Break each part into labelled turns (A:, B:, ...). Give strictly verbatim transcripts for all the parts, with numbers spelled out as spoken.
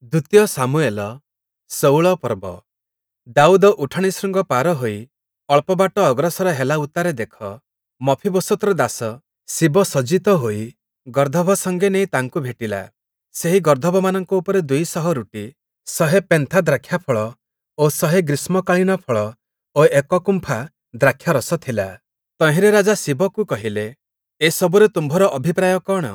A: ଦ୍ଵିତୀୟ ଶାମୁୟେଲ ଷୋଉଳ ପର୍ବ ଦାଉଦ ଉଠାଣି ଶୃଙ୍ଗ ପାର ହୋଇ ଅଳ୍ପ ବାଟ ଅଗ୍ରସର ହେଲା ଉତ୍ତାରେ ଦେଖ, ମଫୀବୋଶତ୍‌ର ଦାସ ସୀବ ସଜ୍ଜିତ ହୋଇ ଗର୍ଦ୍ଦଭ ସଙ୍ଗେ ନେଇ ତାଙ୍କୁ ଭେଟିଲା। ସେହି ଗର୍ଦ୍ଦଭମାନଙ୍କ ଉପରେ ଦୁଇ ଶହ ରୁଟି, ଶହେ ପେନ୍ଥା ଦ୍ରାକ୍ଷାଫଳ ଓ ଶହେ ଗ୍ରୀଷ୍ମକାଳୀନ ଫଳ ଓ ଏକ କୁମ୍ଫା ଦ୍ରାକ୍ଷାରସ ଥିଲା। ତହିଁରେ ରାଜା ସୀବକୁ କହିଲେ, ଏସବୁରେ ତୁମ୍ଭର ଅଭିପ୍ରାୟ କଅଣ?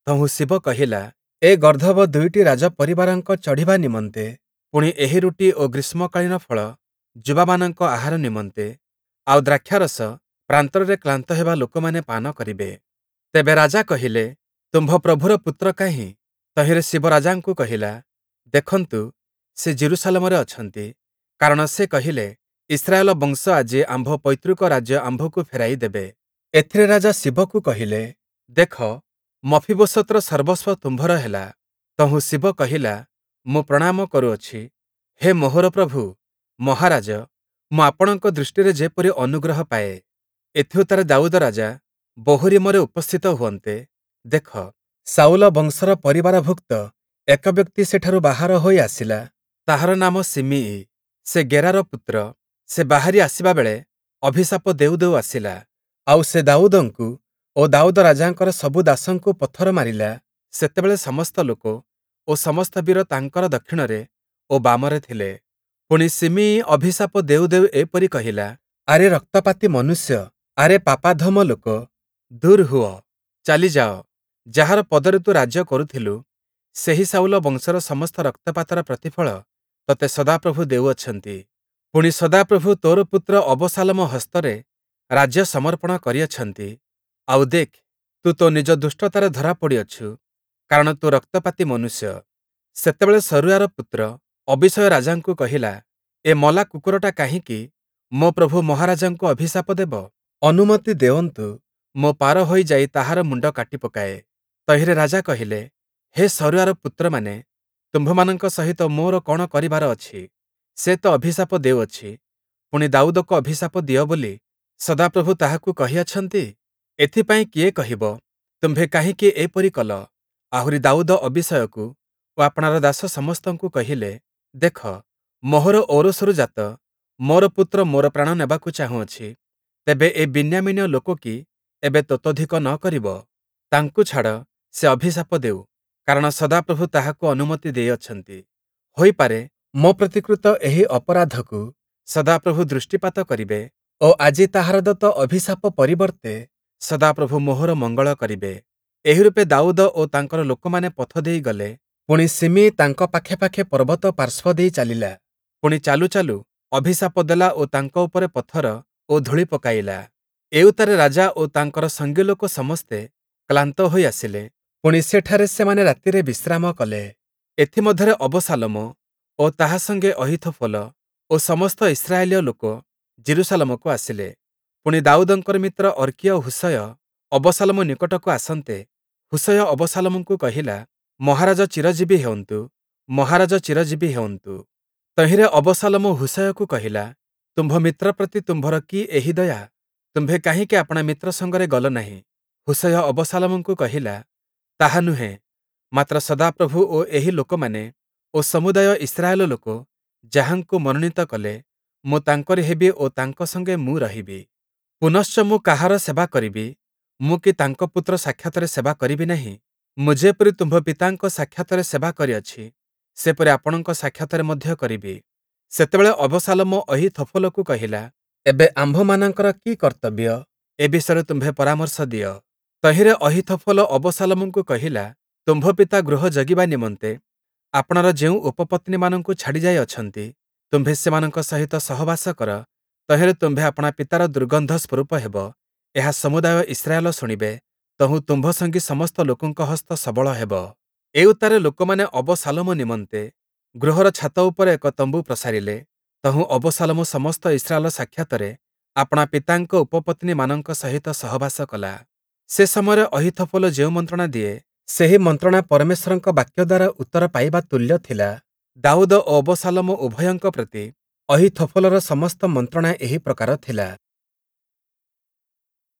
A: ତହୁଁ ସୀବ କହିଲା, ଏ ଗର୍ଦ୍ଦଭ ଦୁଇଟି ରାଜପରିବାରଙ୍କ ଚଢ଼ିବା ନିମନ୍ତେ, ପୁଣି ଏହି ରୁଟି ଓ ଗ୍ରୀଷ୍ମକାଳୀନ ଫଳ ଯୁବାମାନଙ୍କ ଆହାର ନିମନ୍ତେ, ଆଉ ଦ୍ରାକ୍ଷାରସ ପ୍ରାନ୍ତରରେ କ୍ଳାନ୍ତ ହେବା ଲୋକମାନେ ପାନ କରିବେ। ତେବେ ରାଜା କହିଲେ, ତୁମ୍ଭ ପ୍ରଭୁର ପୁତ୍ର କାହିଁ? ତହିଁରେ ସୀବ ରାଜାଙ୍କୁ କହିଲା, ଦେଖନ୍ତୁ, ସେ ଯିରୂଶାଲମରେ ଅଛନ୍ତି, କାରଣ ସେ କହିଲେ, ଇସ୍ରାଏଲ ବଂଶ ଆଜି ଆମ୍ଭ ପୈତୃକ ରାଜ୍ୟ ଆମ୍ଭକୁ ଫେରାଇ ଦେବେ। ଏଥିରେ ରାଜା ସୀବକୁ କହିଲେ, ଦେଖ, ମଫୀବୋଶତ୍‌ର ସର୍ବସ୍ଵ ତୁମ୍ଭର ହେଲା। ତହୁଁ ସୀବ କହିଲା, ମୁଁ ପ୍ରଣାମ କରୁଅଛି, ହେ ମୋହର ପ୍ରଭୁ, ମହାରାଜ, ମୁଁ ଆପଣଙ୍କ ଦୃଷ୍ଟିରେ ଯେପରି ଅନୁଗ୍ରହ ପାଏ। ଏଥିଉତ୍ତାରେ ଦାଉଦ ରାଜା ବହୂରୀମରେ ଉପସ୍ଥିତ ହୁଅନ୍ତେ, ଦେଖ, ଶାଉଲ ବଂଶର ପରିବାରଭୁକ୍ତ ଏକ ବ୍ୟକ୍ତି ସେଠାରୁ ବାହାର ହୋଇ ଆସିଲା, ତାହାର ନାମ ଶିମିୟି, ସେ ଗେରାର ପୁତ୍ର, ସେ ବାହାରି ଆସିବା ବେଳେ ଅଭିଶାପ ଦେଉ ଦେଉ ଆସିଲା। ଆଉ ସେ ଦାଉଦଙ୍କୁ ଓ ଦାଉଦ ରାଜାଙ୍କର ସବୁ ଦାସଙ୍କୁ ପଥର ମାରିଲା। ସେତେବେଳେ ସମସ୍ତ ଲୋକ ଓ ସମସ୍ତ ବୀର ତାଙ୍କର ଦକ୍ଷିଣରେ ଓ ବାମରେ ଥିଲେ। ପୁଣି ଶିମିୟି ଅଭିଶାପ ଦେଉ ଦେଉ ଏପରି କହିଲା, ଆରେ ରକ୍ତପାତୀ ମନୁଷ୍ୟ, ଆରେ ପାପାଧମ ଲୋକ, ଦୂର୍ ହୁଅ, ଚାଲିଯାଅ, ଯାହାର ପଦରେ ତୁ ରାଜ୍ୟ କରୁଥିଲୁ, ସେହି ଶାଉଲ ବଂଶର ସମସ୍ତ ରକ୍ତପାତର ପ୍ରତିଫଳ ତୋତେ ସଦାପ୍ରଭୁ ଦେଉଅଛନ୍ତି। ପୁଣି ସଦାପ୍ରଭୁ ତୋର ପୁତ୍ର ଅବଶାଲୋମ ହସ୍ତରେ ରାଜ୍ୟ ସମର୍ପଣ କରିଅଛନ୍ତି। ଆଉ ଦେଖ୍, ତୁ ତୋ ନିଜ ଦୁଷ୍ଟତାରେ ଧରା ପଡ଼ିଅଛୁ, କାରଣ ତୁ ରକ୍ତପାତୀ ମନୁଷ୍ୟ। ସେତେବେଳେ ସରୂୟାର ପୁତ୍ର ଅବୀଶୟ ରାଜାଙ୍କୁ କହିଲା, ଏ ମଲା କୁକୁରଟା କାହିଁକି ମୋ ପ୍ରଭୁ ମହାରାଜାଙ୍କୁ ଅଭିଶାପ ଦେବ? ଅନୁମତି ଦେଉନ୍ତୁ, ମୁଁ ପାର ହୋଇ ଯାଇ ତାହାର ମୁଣ୍ଡ କାଟି ପକାଏ। ତହିଁରେ ରାଜା କହିଲେ, ହେ ସରୂୟାର ପୁତ୍ରମାନେ, ତୁମ୍ଭମାନଙ୍କ ସହିତ ମୋର କଅଣ କରିବାର ଅଛି? ସେ ତ ଅଭିଶାପ ଦେଉଅଛି, ପୁଣି ଦାଉଦକୁ ଅଭିଶାପ ଦିଅ ବୋଲି ସଦାପ୍ରଭୁ ତାହାକୁ କହିଅଛନ୍ତି। ଏଥିପାଇଁ କିଏ କହିବ, ତୁମ୍ଭେ କାହିଁକି ଏପରି କଲ? ଆହୁରି ଦାଉଦ ଅବୀଶୟକୁ ଓ ଆପଣାର ଦାସ ସମସ୍ତଙ୍କୁ କହିଲେ, ଦେଖ, ମୋହର ଔରସରୁ ଜାତ ମୋର ପୁତ୍ର ମୋର ପ୍ରାଣ ନେବାକୁ ଚାହୁଁଅଛି, ତେବେ ଏ ବିନ୍ୟାମୀନୀୟ ଲୋକ କି ଏବେ ତତୋଃଧିକ ନ କରିବ? ତାଙ୍କୁ ଛାଡ଼, ସେ ଅଭିଶାପ ଦେଉ, କାରଣ ସଦାପ୍ରଭୁ ତାହାକୁ ଅନୁମତି ଦେଇଅଛନ୍ତି। ହୋଇପାରେ, ମୋ ପ୍ରତି କୃତ ଏହି ଅପରାଧକୁ ସଦାପ୍ରଭୁ ଦୃଷ୍ଟିପାତ କରିବେ ଓ ଆଜି ତାହାର ଦତ୍ତ ଅଭିଶାପ ପରିବର୍ତ୍ତେ ସଦାପ୍ରଭୁ ମୋହର ମଙ୍ଗଳ କରିବେ। ଏହିରୂପେ ଦାଉଦ ଓ ତାଙ୍କର ଲୋକମାନେ ପଥ ଦେଇ ଗଲେ। ପୁଣି ଶିମିୟି ତାଙ୍କ ପାଖେ ପାଖେ ପର୍ବତ ପାର୍ଶ୍ୱ ଦେଇ ଚାଲିଲା। ପୁଣି ଚାଲୁ ଚାଲୁ ଅଭିଶାପ ଦେଲା ଓ ତାଙ୍କ ଉପରେ ପଥର ଓ ଧୂଳି ପକାଇଲା। ଏଉତ୍ତାରେ ରାଜା ଓ ତାଙ୍କର ସଙ୍ଗୀଲୋକ ସମସ୍ତେ କ୍ଳାନ୍ତ ହୋଇ ଆସିଲେ। ପୁଣି ସେଠାରେ ସେମାନେ ରାତିରେ ବିଶ୍ରାମ କଲେ। ଏଥିମଧ୍ୟରେ ଅବଶାଲୋମ ଓ ତାହା ସଙ୍ଗେ ଅହୀଥୋଫଲ ଓ ସମସ୍ତ ଇସ୍ରାଏଲୀୟ ଲୋକ ଯିରୂଶାଲମକୁ ଆସିଲେ। ପୁଣି ଦାଉଦଙ୍କର ମିତ୍ର ଅର୍କୀୟ ହୂଶୟ ଅବଶାଲୋମ ନିକଟକୁ ଆସନ୍ତେ, ହୂଶୟ ଅବଶାଲୋମଙ୍କୁ କହିଲା, ମହାରାଜ ଚିରଜୀବୀ ହେଉନ୍ତୁ, ମହାରାଜ ଚିରଜୀବୀ ହେଉନ୍ତୁ। ତହିଁରେ ଅବଶାଲୋମ ହୂଶୟକୁ କହିଲା, ତୁମ୍ଭ ମିତ୍ର ପ୍ରତି ତୁମ୍ଭର କି ଏହି ଦୟା? ତୁମ୍ଭେ କାହିଁକି ଆପଣା ମିତ୍ର ସଙ୍ଗରେ ଗଲ ନାହିଁ? ହୂଶୟ ଅବଶାଲୋମଙ୍କୁ କହିଲା, ତାହା ନୁହେଁ, ମାତ୍ର ସଦାପ୍ରଭୁ ଓ ଏହି ଲୋକମାନେ ଓ ସମୁଦାୟ ଇସ୍ରାଏଲ ଲୋକ ଯାହାଙ୍କୁ ମନୋନୀତ କଲେ, ମୁଁ ତାଙ୍କରି ହେବି ଓ ତାଙ୍କ ସଙ୍ଗେ ମୁଁ ରହିବି। ପୁନଶ୍ଚ ମୁଁ କାହାର ସେବା କରିବି? ମୁଁ କି ତାଙ୍କ ପୁତ୍ର ସାକ୍ଷାତରେ ସେବା କରିବି ନାହିଁ? ମୁଁ ଯେପରି ତୁମ୍ଭ ପିତାଙ୍କ ସାକ୍ଷାତରେ ସେବା କରିଅଛି, ସେପରି ଆପଣଙ୍କ ସାକ୍ଷାତରେ ମଧ୍ୟ କରିବି। ସେତେବେଳେ ଅବଶାଲୋମ ଅହୀଥୋଫଲକୁ କହିଲା, ଏବେ ଆମ୍ଭମାନଙ୍କର କି କର୍ତ୍ତବ୍ୟ? ଏ ବିଷୟରେ ତୁମ୍ଭେ ପରାମର୍ଶ ଦିଅ। ତହିଁରେ ଅହୀଥୋଫଲ ଅବଶାଲୋମଙ୍କୁ କହିଲା, ତୁମ୍ଭ ପିତା ଗୃହ ଜଗିବା ନିମନ୍ତେ ଆପଣାର ଯେଉଁ ଉପପତ୍ନୀମାନଙ୍କୁ ଛାଡ଼ି ଯାଇଅଛନ୍ତି, ତୁମ୍ଭେ ସେମାନଙ୍କ ସହିତ ସହବାସ କର, ତହିଁରେ ତୁମ୍ଭେ ଆପଣା ପିତାର ଦୁର୍ଗନ୍ଧ ସ୍ୱରୂପ ହେବ, ଏହା ସମୁଦାୟ ଇସ୍ରାଏଲ ଶୁଣିବେ, ତହୁଁ ତୁମ୍ଭ ସଙ୍ଗୀ ସମସ୍ତ ଲୋକଙ୍କ ହସ୍ତ ସବଳ ହେବ। ଏଉତ୍ତାରେ ଲୋକମାନେ ଅବଶାଲୋମ ନିମନ୍ତେ ଗୃହର ଛାତ ଉପରେ ଏକ ତମ୍ବୁ ପ୍ରସାରିଲେ। ତହୁଁ ଅବଶାଲୋମ ସମସ୍ତ ଇସ୍ରାଏଲ ସାକ୍ଷାତରେ ଆପଣା ପିତାଙ୍କ ଉପପତ୍ନୀମାନଙ୍କ ସହିତ ସହବାସ କଲା। ସେ ସମୟରେ ଅହୀଥୋଫଲ ଯେଉଁ ମନ୍ତ୍ରଣା ଦିଏ, ସେହି ମନ୍ତ୍ରଣା ପରମେଶ୍ୱରଙ୍କ ବାକ୍ୟ ଦ୍ୱାରା ଉତ୍ତର ପାଇବା ତୁଲ୍ୟ ଥିଲା। ଦାଉଦ ଓ ଅବଶାଲୋମ ଉଭୟଙ୍କ ପ୍ରତି ଅହୀଥୋଫଲର ସମସ୍ତ ମନ୍ତ୍ରଣା ଏହି ପ୍ରକାର ଥିଲା।